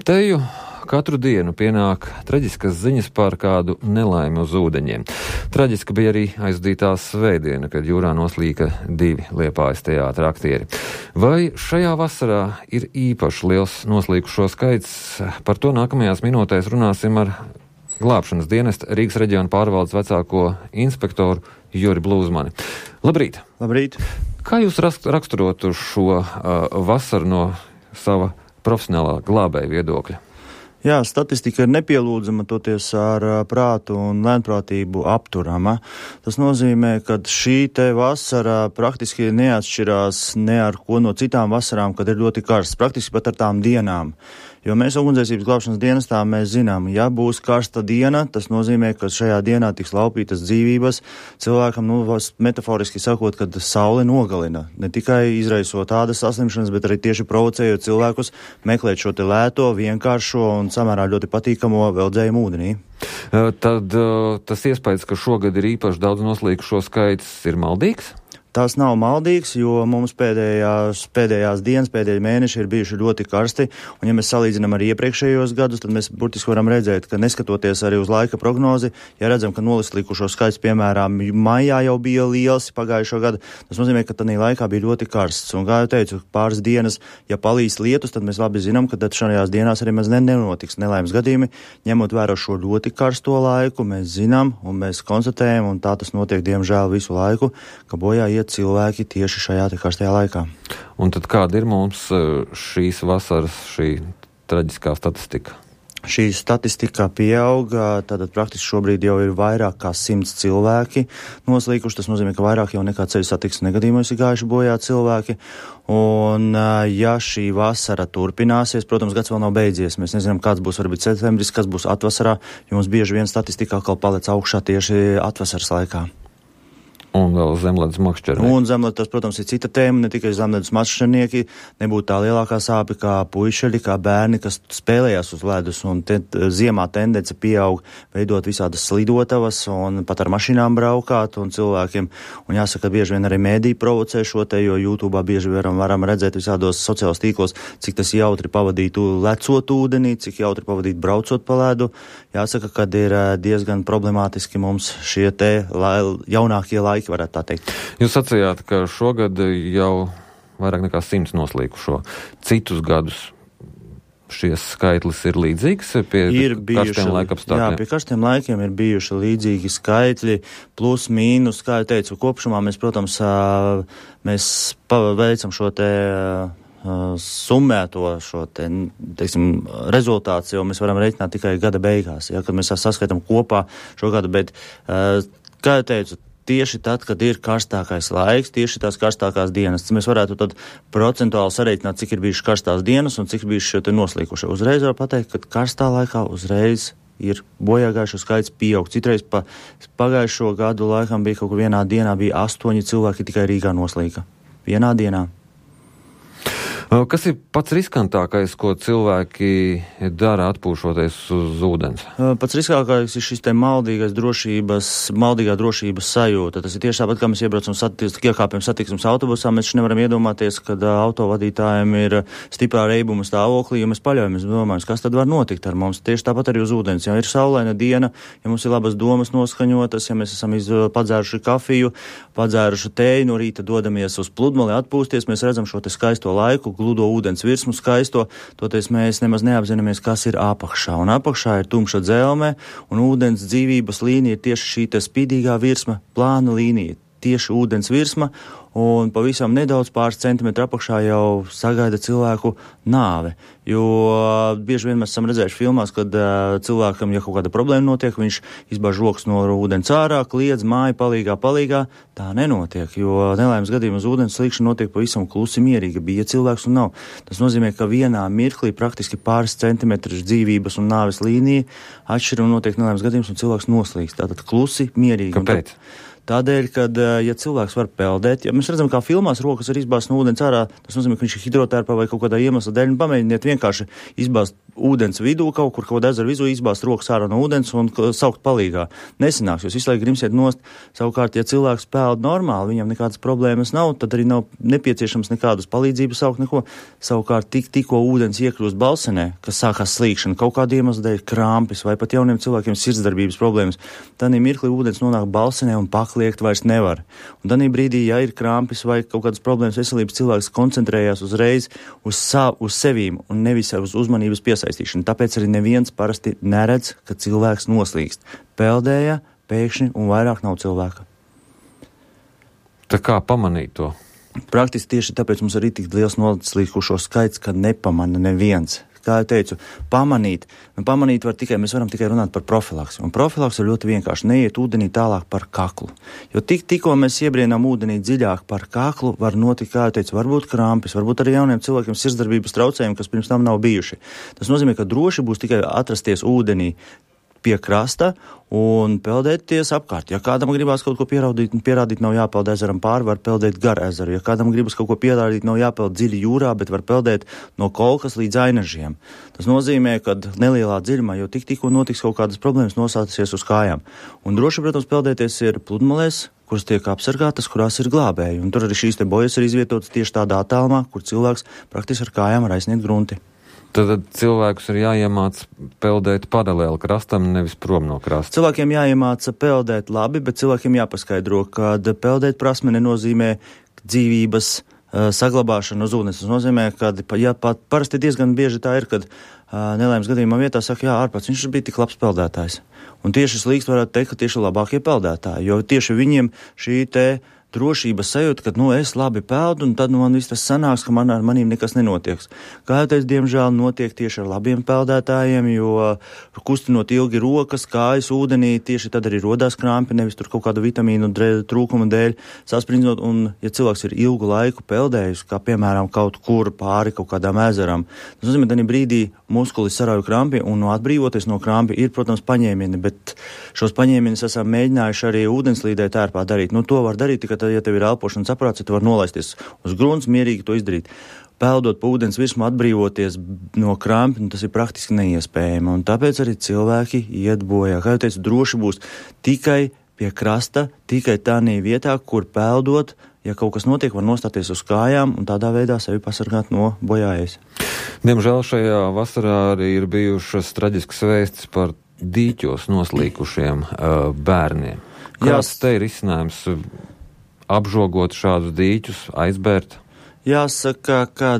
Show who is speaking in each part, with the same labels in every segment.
Speaker 1: Teju katru dienu pienāk traģiskas ziņas par kādu nelaimi uz ūdeņiem. Traģiska bija arī aizdītā svētdiena, kad jūrā noslīka 2 Liepājas teātra aktieri. Vai šajā vasarā ir īpaši liels noslīkušo skaits? Par to nākamajās minūtēs runāsim ar glābšanas dienesta Rīgas reģiona pārvaldes vecāko inspektoru Juri Blūzmani. Labrīt!
Speaker 2: Labrīt!
Speaker 1: Kā jūs raksturotu šo vasaru no sava profesionālā glābēja viedokļa?
Speaker 2: Jā, statistika ir nepielūdzama, toties ar prātu un lēnprātību apturama. Tas nozīmē, ka šī te vasara praktiski neatšķirās ne ar ko no citām vasarām, kad ir ļoti karsts, praktiski pat ar tām dienām. Jo mēs ugunsdzēsības glābšanas dienestā mēs zinām, ja būs karsta diena, tas nozīmē, ka šajā dienā tiks laupītas dzīvības. Cilvēkam, metaforiski sakot, kad saule nogalina, ne tikai izraisot tādas saslimšanas, bet arī tieši provocējot cilvēkus meklēt šo te lēto, vienkāršo un samērā ļoti patīkamo veldzējumu ūdenī.
Speaker 1: Tad tas iespējas, ka šogad ir īpaši daudz noslīkušo skaits, ir maldīgs?
Speaker 2: Tas nav maldīgs, jo mums pēdējās dienas, pēdējie mēneši ir bijuši ļoti karsti, un ja mēs salīdzinām ar iepriekšējos gadus, tad mēs burtiski varam redzēt, ka neskatoties arī uz laika prognozi, ja redzam, ka noslīkušo skaits, piemēram, maijā jau bija liels pagājušo gadu, tas nozīmē, ka tādā laikā bija ļoti karsts, un kā jau teicu, pāris dienas, ja palīs lietus, tad mēs labi zinām, ka tad šajās dienās arī maz nenotiks nelaimes gadījumi, ņemot vērā šo ļoti karsto laiku, mēs zinām, un mēs konstatējam, un tā tas notiek, diemžēl, visu laiku, ka bojā cilvēki tieši šajā te karstajā laikā.
Speaker 1: Un tad kāda ir mums šīs vasaras, šī traģiskā statistika?
Speaker 2: Šī statistika pieauga, tātad praktiski šobrīd jau ir vairāk kā 100 cilvēki noslīkuši. Tas nozīmē, ka vairāk jau nekā ceļu satiksmes negadījumos ir gājuši bojā cilvēki. Un ja šī vasara turpināsies, protams, gads vēl nav beidzies. Mēs nezinām, kāds būs varbūt septembris, kas būs atvasarā, jo mums bieži vien statistika atkal palec augšā tieši atvasaras laikā.
Speaker 1: Un vēl zemledus makšķernieki.
Speaker 2: Un zemledus, tas, protams, ir cita tēma, ne tikai zemledus makšķernieki, nebūtu tā lielākā sāpe kā puišeļi, kā bērni, kas spēlējās uz ledus, un ziemā tendence pieaug veidot visādas slidotavas un pat ar mašīnām braukāt un cilvēkiem. Un jāsaka, bieži vien arī mēdī provocē šo te, jo YouTube'ā bieži varam redzēt visādos sociālos tīklos, cik tas jautri pavadīt lecot ūdenī, cik jautri pavadīt braucot pa ledu. Jāsaka, kad ir diezgan problemātiski mums šie te jaunākie laiki, varētu tā teikt.
Speaker 1: Jūs sacījāt, ka šogad jau vairāk nekā 100 noslīkušo. Citus gadus šies skaitlis ir līdzīgs pie karstiem laika apstākļiem?
Speaker 2: Jā, pie karstiem laikiem ir bijuši līdzīgi skaitļi, plus, mīnus, kā jau teicu, kopšumā mēs, protams, mēs veicam šo te summēto šo te, teiksim, rezultāts, jo mēs varam reiķināt tikai gada beigās, ja, kad mēs saskaitam kopā šo gadu, bet, kā jau teicu, tieši tad, kad ir karstākais laiks, tieši tās karstākās dienas, mēs varētu tad procentuāli sareiķināt, cik ir bijušas karstās dienas un cik bijuši šie te noslīkušie. Uzreiz var pateikt, ka karstā laikā uzreiz ir bojāgājušo skaits pieaug. Citreiz pagājušo gadu laikam bija kaut kur vienā dienā bija 8 cilvēki tikai Rīgā noslīka. Vienā dienā.
Speaker 1: Kas ir pats riskantākais, ko cilvēki dara atpūšoties uz ūdens?
Speaker 2: Pats riskākais ir šis te maldīgā drošības sajūta. Tas ir tieši tāpat, kā mēs iebraucam iekāpjam satiksmes autobusā. Mēs nevaram iedomāties, kad autovadītājiem ir stiprā reibuma stāvoklī, jo mēs paļaujamies, domājam, kas tad var notikt ar mums. Tieši tāpat arī uz ūdens. Ja ir saulaina diena, ja mums ir labas domas noskaņotas, ja mēs esam padzēruši kafiju, padzēruši tēju, no rīta dodamies uz pludmali atpūsties, mēs redzam šo te skaisto laiku, gludo ūdens virsmu skaisto, toties mēs nemaz neapzināmies, kas ir apakšā. Un apakšā ir tumša dzelme, un ūdens dzīvības līnija ir tieši šī te spīdīgā virsma, plāna līnija, tieši ūdens virsma, un pavisam nedaudz pāris centimetru apakšā jau sagaida cilvēku nāve. Jo bieži vien mēs esam redzējuši filmās, kad cilvēkam, ja kaut kāda problēma notiek, viņš izbāž rokas no ūdens ārā, kliedz māju palīgā. Tā nenotiek, jo nelaimes gadījumā uz ūdens slīkšana notiek pavisam klusi mierīgi, bija cilvēks un nav. Tas nozīmē, ka vienā mirklī praktiski pāris centimetrus dzīvības un nāves līnija atšķir un notiek nelaimes gadījums un cilvēks noslīkst. Tātad klusi mierīgi.
Speaker 1: Kāpēc?
Speaker 2: Tādēļ, kad, ja cilvēks var peldēt, ja mēs redzam, kā filmās rokas var izbāzt no ūdens ārā, tas nozīmē, ka viņš ir hidrotērpā vai kaut kādā iemesla dēļ, un pamēģiniet vienkārši izbāzt ūdens vidū, kaut kur ezeru vidū, izbāzt rokas ārā no ūdens un saukt palīgā. Nesanāks, jūs visu laiku grimsiet nost. Savukārt, ja cilvēks peld normāli, viņam nekādas problēmas nav, tad arī nav nepieciešams nekādas palīdzības saukt neko. Savukārt, tikko ūdens iekļūst balsenē, kas sākās slīkšana, kaut kāda iemesla dēļ krāmpis vai pat jauniem cilvēkiem sirdsdarbības problēmas, tad mirklī ūdens nonāk balsenē un pakliegt vairs nevar. Un tad brīdī, ja ir krāmpis vai kaut kādas problēmas veselības, cilvēks koncentrējās uzreiz uz sevīm un nevis uz uzmanības piesaistīšanu. Tāpēc arī neviens parasti neredz, ka cilvēks noslīkst. Peldēja pēkšņi un vairāk nav cilvēka.
Speaker 1: Tā kā pamanīt to?
Speaker 2: Praktiski tieši tāpēc mums arī tik liels noslīkušo skaits, ka nepamana neviens. Kā jau teicu, pamanīt var tikai, mēs varam tikai runāt par profilaksi. Un profilaks ir ļoti vienkārši, neiet ūdenī tālāk par kaklu. Jo tikko mēs iebrienām ūdenī dziļāk par kaklu, var notikt, kā jau teicu, varbūt krampis, varbūt arī jauniem cilvēkiem sirdsdarbības traucējumi, kas pirms tam nav bijuši. Tas nozīmē, ka droši būs tikai atrasties ūdenī pie krasta un peldēties apkārt. Ja kādam gribās kaut ko pierādīt, nav jāpeld ezeram pāri, var peldēt gar ezeru. Ja kādam gribas kaut ko pierādīt, nav jāpeld dziļi jūrā, bet var peldēt no kolkas līdz ainažiem. Tas nozīmē, ka nelielā dziļumā, jo tikko notiks kaut kādas problēmas, nosāksies uz kājām. Un droši, protams, peldēties ir pludmalēs, kuras tiek apsargātas, kurās ir glābēji. Un tur arī šīs te bojas ir izvietotas tieši tādā attālumā, kur cilvēks praktiski ar kājām var aizsniegt grunti.
Speaker 1: Tad cilvēkus ir jāiemāc peldēt paralēli krastam, nevis prom no krasta.
Speaker 2: Cilvēkiem jāiemāca peldēt labi, bet cilvēkiem jāpaskaidro, ka peldēt prasme nenozīmē dzīvības saglabāšanu uz ūdens. Tas nozīmē, ka parasti diezgan bieži tā ir, kad nelaimes gadījumā vietā saka, jā, ārpats, viņš bija tik labs peldētājs. Un tieši slīkst varētu teikt, ka tieši labākie peldētāji, jo tieši viņiem šī te drošības sajūta, ka, es labi peldu, un tad man viss tas sanāks, ka ar manīm nekas nenotiek. Kā jau teicu, diemžēl notiek tieši ar labiem peldētājiem, jo kustinot ilgi rokas, kājas ūdenī, tieši tad arī rodās krāmpi, nevis tur kaut kādu vitamīnu trūkuma dēļ sasprindzot, un ja cilvēks ir ilgu laiku peldējis, kā piemēram kaut kur pāri kaut kādām ezeram, tas nozīmē, ka brīdī muskuli sarauj krampi, un atbrīvoties no krampi ir, protams, paņēmieni, bet šos paņēmienus esam mēģinājuši arī ūdenslīdē tērpā darīt. To var darīt tikai tad, ja tev ir elpošanas aparāts, ja tu var nolaisties uz grunts, mierīgi to izdarīt. Peldot pa ūdens virsmu, atbrīvoties no krampi, tas ir praktiski neiespējami, un tāpēc arī cilvēki iet bojā. Kā jau teicu, droši būs tikai pie krasta, tikai tādā vietā, kur peldot, ja kaut kas notiek, var nostāties uz kājām un tādā veidā sevi pasargāt no bojājas.
Speaker 1: Diemžēl šajā vasarā arī ir bijušas traģiskas vēstis par dīķos noslīkušiem bērniem. Kāds te ir risinājums apžogot šādus dīķus, aizbērt?
Speaker 2: Jāsaka, ka,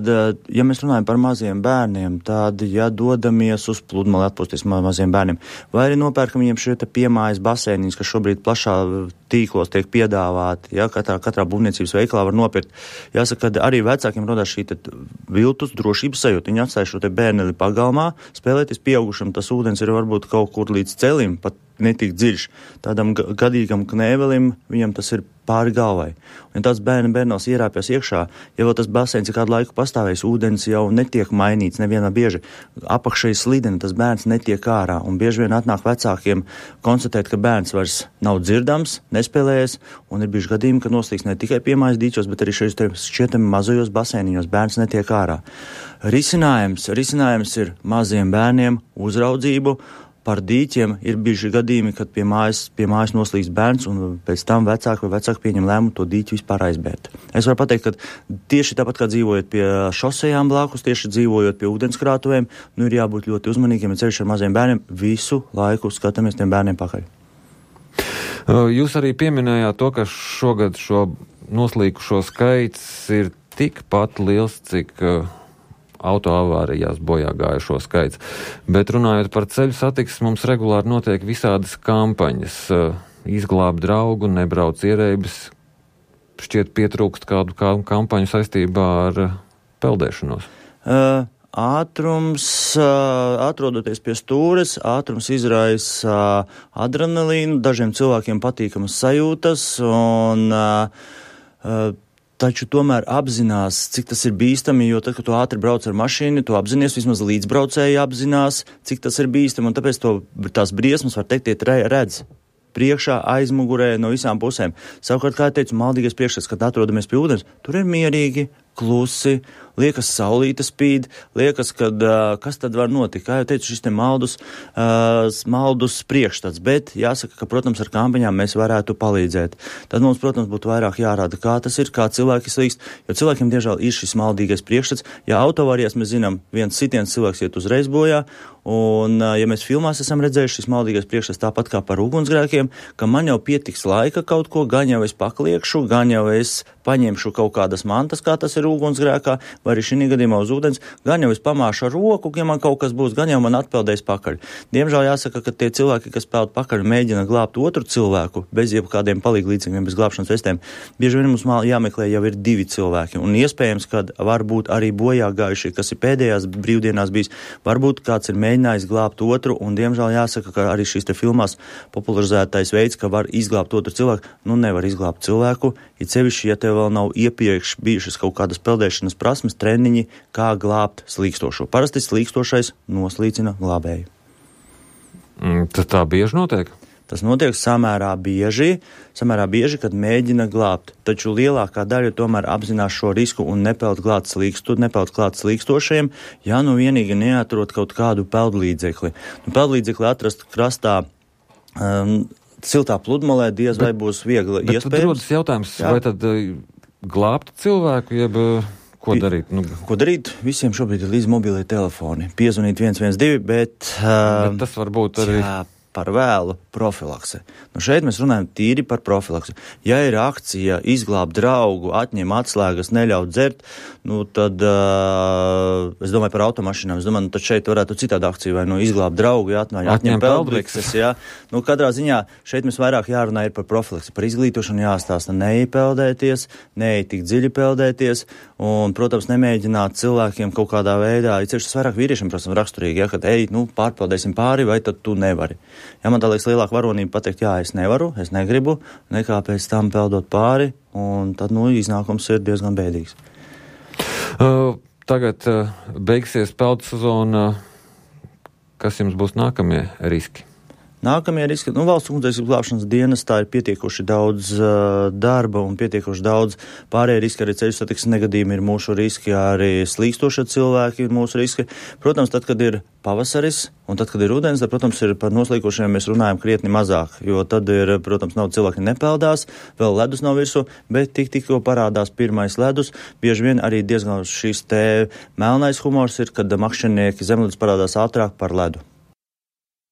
Speaker 2: ja mēs runājam par maziem bērniem, tad, ja dodamies uz pludmali atpūsties maziem bērniem, vai arī nopērkam viņiem šie piemājas baseiniņas, kas šobrīd plašā tīklos tiek piedāvāti, ja, katrā būvniecības veikalā var nopirkt. Jāsaka, ka arī vecākiem rodās šī viltus drošības sajūta. Viņi atstāja šo te bērneli pagalmā, spēlēties pieaugušam, tas ūdens ir varbūt kaut kur līdz celim, pat netik dziļš. Tādam gadīgam knēvelim viņam tas ir pāri galvai. Un ja tāds bērnās ierāpjas iekšā, ja vēl tas baseins ir kādu laiku pastāvējis, ūdens jau netiek mainīts nevienā bieži. Apakšai slidena, tas bērns netiek ārā. Un bieži vien atnāk vecākiem konstatēt, ka bērns vairs nav dzirdams, nespēlējies, un ir bijuši gadījumi, ka noslīkst ne tikai piemājas dīķos, bet arī šķietami mazajos baseiniņos bērns netiek ārā. Risinājums ir maziem bērniem uzraudzību. Par dīķiem ir bijuši gadījumi, kad pie mājas noslīkst bērns, un pēc tam vecāki pieņem lēmumu to dīķi vispār aizbērt. Es varu pateikt, ka tieši tāpat kā dzīvojot pie šosejām blakus, tieši dzīvojot pie ūdenskrātuvēm, ir jābūt ļoti uzmanīgiem, ja ceļš ar maziem bērniem, visu laiku skatāmies tiem bērniem pakaļ.
Speaker 1: Jūs arī pieminējāt to, ka šogad šo noslīkušo skaits ir tikpat liels, cik autoavārijās bojā gājušo skaits. Bet runājot par ceļu satiksmi, mums regulāri notiek visādas kampaņas. Izglābt draugu, nebrauc ierēbis. Šķiet pietrūkst kādu kampaņu saistībā ar peldēšanos.
Speaker 2: Ātrums, atrodoties pie stūres, ātrums izraisa adrenalīnu, dažiem cilvēkiem patīkamas sajūtas, un taču tomēr apzinās, cik tas ir bīstami, jo tad, kad tu ātri brauc ar mašīnu, tu apzinies, vismaz līdzbraucēji apzinās, cik tas ir bīstami, un tāpēc tās briesmas, var teikt, redz. priekšā, aizmugurē, no visām pusēm. Savukārt, kā teicu, maldīgais priekšstats, kad atrodamies pie ūdens, tur ir mierīgi, klusi, liekas saulīte spīd, liekas, kad kas tad var notikt. Kā jau teicu, šis te maldus priekšstats, bet jāsaka, ka, protams, ar kampiņām mēs varētu palīdzēt. Tad mums, protams, būtu vairāk jārāda, kā tas ir, kā cilvēki slīkst, jo cilvēkiem, diemžēl, ir šis maldīgais priekšstats. Ja autoavārijās mēs zinām, viens sitiens cilvēks iet uzreiz bojā, un, ja mēs filmās esam redzējuši šis maldīgais priekšstats tāpat kā par ugunsgrēkiem, ka man jau pietiks laika kaut ko, gan jau es pakliekšu, gan jau es paņemšu kaut kādas mantas, kā tas ir ugunsgrēkā, vai arī šī gadījumā uz ūdens, gan jau es pamāšu ar roku, ja man kaut kas būs, gan jau man atpeldēs pakaļ. Diemžēl jāsaka, ka tie cilvēki, kas peld pakaļ, mēģina glābt otru cilvēku bez jebkādiem palīglīdzekļiem, bez glābšanas vestēm. Bieži vien mums jāmeklē jau ir 2 cilvēki, un iespējams, ka varbūt arī bojā gājušie, kas ir pēdējās brīvdienās bijis, varbūt kāds ir mēģinājis glābt otru, un diemžēl jāsaka, ka arī šīs te filmās popularizētais veids, ka var izglābt otru cilvēku, nevar izglābt cilvēku, it sevišķi, ja tev vēl nav iepriekš bijušas kaut kādas peldēšanas prasmes, treniņi, kā glābt slīkstošo. Parasti slīkstošais noslīcina glābēju.
Speaker 1: Tas tā bieži notiek?
Speaker 2: Tas notiek samērā bieži, kad mēģina glābt, taču lielākā daļa tomēr apzinās šo risku un nepeld klāt slīkstošajiem, ja vienīgi neatrod kaut kādu peldlīdzekli. Peldlīdzekli atrast krastā siltā pludmalē diez vai būs viegli iespējams. Bet tad rodas jautājums, vai tad glābt cilvēku, jeb ko darīt? Ko darīt? Visiem šobrīd ir līdz mobilie telefoni. Piezvanīt 112, bet
Speaker 1: tas var būt arī...
Speaker 2: par vēlu profilakse. Šeit mēs runājam tīri par profilaksi. Ja ir akcija izglābt draugu, atņem atslēgas, neļaut dzert, tad es domāju par automašīnām. Es domāju, tad šeit varētu citādi akcija vai izglābt draugu, atņem peldbikses. Katrā ziņā šeit mēs vairāk jārunā ir par profilaksi, par izglītošanu jāstāsta, neiepeldēties, neietik dziļi peldēties un, protams, nemēģināt cilvēkiem kaut kādā veidā, it sevišķi tas vairāk vīriešiem, protams, raksturīgi, kad pārpeldēsim pāri, vai tad tu nevari. Ja man tā liekas lielāka varonība pateikt, jā, es nevaru, es negribu, nekā pēc tam peldot pāri, un tad, iznākums ir diezgan bēdīgs.
Speaker 1: Tagad beigsies peldu sezona. Kas jums būs nākamie riski?
Speaker 2: Nākamie riski, valsts ugunsdzēsības glābšanas dienestā ir pietiekoši daudz darba un pietiekoši daudz pārējie riski, arī ceļu satiksmes negadījumi ir mūsu riski, arī slīkstošie cilvēki ir mūsu riski. Protams, tad, kad ir pavasaris un tad, kad ir ūdens, tad, protams, ir par noslīkošiem mēs runājam krietni mazāk, jo tad ir, protams, nav cilvēki nepeldās, vēl ledus nav virsū, bet tikko parādās pirmais ledus, bieži vien arī diezgan šis te melnais humors ir, kad makšķernieki zemledus parādās ātrāk par ledu.